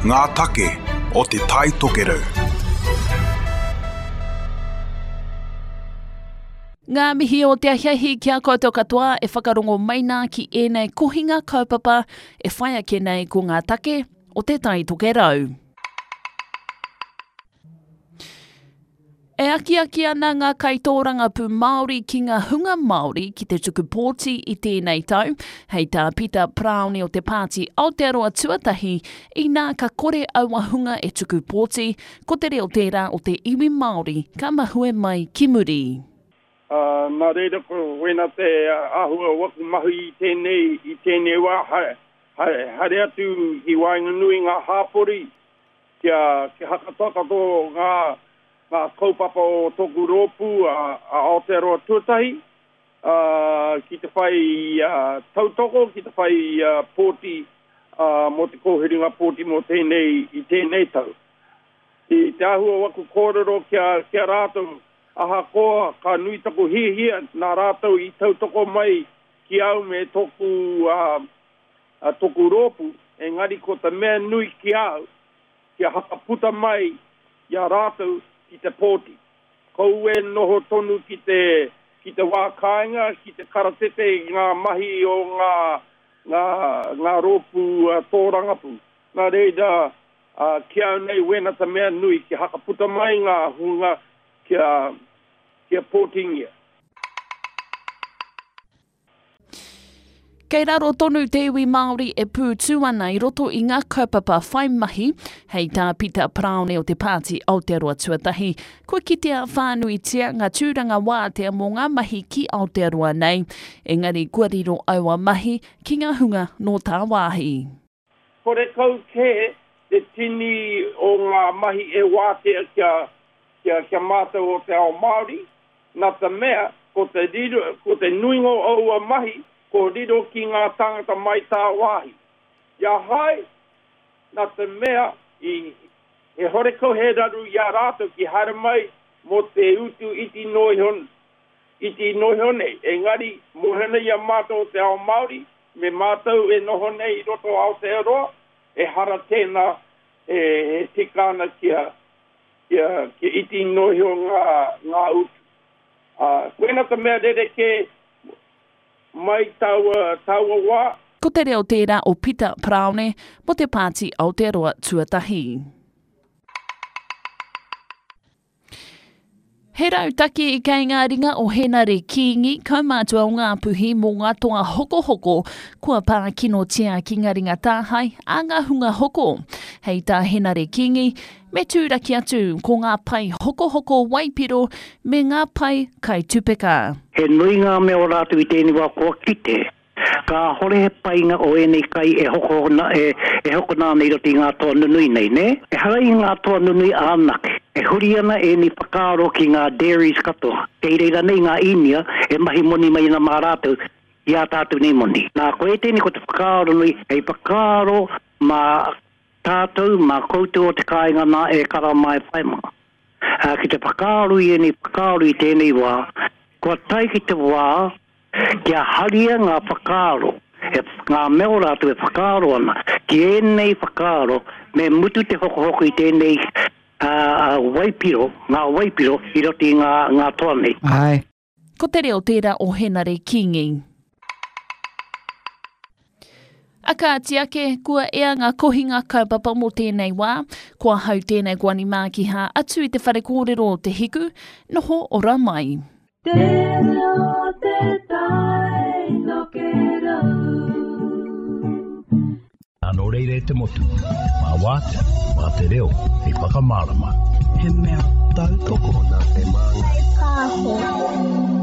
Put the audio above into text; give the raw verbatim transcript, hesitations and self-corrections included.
Ngā take o Te Tai Tokerau. Ngā mihi o te ahiahi ki a koutou katoa e whakarongo mai nā ki ēnei kohinga kaupapa e whai ake nei ko ngā take o Te Tai Tokerau. E akiaki ana ngā kaitōrangapū Māori ki ngā hunga Māori ki te tuku pōti i tēnei tau, hei tā Pita Paraone o te Pāti Aotearoa Tuatahi, inā ka kore aua hunga e tuku pōti, ko te reo tērā o te iwi Māori ka mahue mai ki muri. Ā, nā reira ko wena te āhua o aku mahi i tēnei, i tēnei wā, haere, haere atu ki waenganui i ngā hāpori, kia, kia hakatakato ngā, ngā kaupapa o tōku rōpū a, a Aotearoa Tuatahi, ā, ki te whai tautoko, ki te whai pōti ā, mō te kōwhiringa pōti mō tēnei, i tēnei tau. I te āhua o aku kōrero ki a, ki a rātou, ahakoa ka nui taku hiahia nā rātou i tautoko mai ki au me tōku, ā, tōku rōpū, engari ko te mea nui ki a au, kia hakaputa mai i a rātou ki te pōti. Kaua e noho tonu ki te, ki te wā kāinga, ki te karatete i ngā mahi o ngā, ngā, ngā rōpū tōrangapū. Nā reira, ki au nei wena te mea nui, kia hakaputa mai ngā hunga kia, kia pōtingia. Kei raro tonu te iwi Māori e pūtū ana i roto i ngā kaupapa whai mahi, hei tā Pita Paraone o te Pāti Aotearoa Tuatahi, kua kitea whānuitia ngā tūranga wātea mō ngā mahi ki Aotearoa nei, engari kua riro aua mahi ki ngā hunga nō tāwāhi. Horekau kē te tini o ngā mahi e wātea kia, kia, kia mātau o te ao Māori, nā te mea ko te riro, ko te nuinga o aua mahi ko riro ki ngā tāngata mai tāwāhi. I a hai, nā te mea i, he horekau he raru i a rātou ki haere mai mō te utu iti noa iho, iti noa iho nei. Engari, mōhio nei i a mātou o te ao Māori, me mātou e noho nei i roto o Aotearoa, ehara tēnā e, e tika ana kia, kia, kia iti noa iho ngā, ngā utu. Ā, koina te mea rerekē mai taua, taua wā. Ko te reo tērā o Pita Paraone mō te Pāti Aotearoa Tuatahi. He rautaki kei ngā ringa o Henare Kīngi, kaumātua o Ngāpuhi mō ngā toa hokohoko kua pā kinotia ki ngā ringa tāhae a ngā hunga hoko. Hei tā Henare Kīngi, me tūraki atu ko ngā pae hokohoko waipiro me ngā pae kaitupeka. He nui ngā mea o rātou i tēnei wā kua kite, kāhore he painga o ēnei kai e hokona, e, e hokona ana i roto i ngā toa nunui nei, nē? Ehara i ngā toa nunui anake, e huri ana ēnei whakaaro ki ngā dairies katoa, kei reira nei ngā Īnia e mahi moni mai ana mā rātou i ā tātou nei moni. Nā, ko ētēnei ko te whakaaro nui hei whakaaro mā tātou, mā koutou o te kāinga nā e kara mā e whai mā. Ā, ki te whakaaro i ēnei whakaaro i tēnei wā, kua tae ki te wā kia haria ngā whakaaro, e, ngā mea o rātou e whakaaro ana, ki ēnei whakaaro me mutu te hokohoko i tēnei ā, waipiro, ngā waipiro i roto i ngā, ngā toa nei. Āe. Ko te reo tērā o Henare Kingi. A kāti ake, kua ea ngā kohinga kaupapa mō tēnei wā, ko ahau tēnei ko Ani Mākiha atu i te whare kōrero o Te Hiku, noho ora mai. Te reo te tai tokerau. Nō reira e te motu, mā wātea, mā te reo, hei whakamārama. He mea tautoko nā te Māngai Pāho.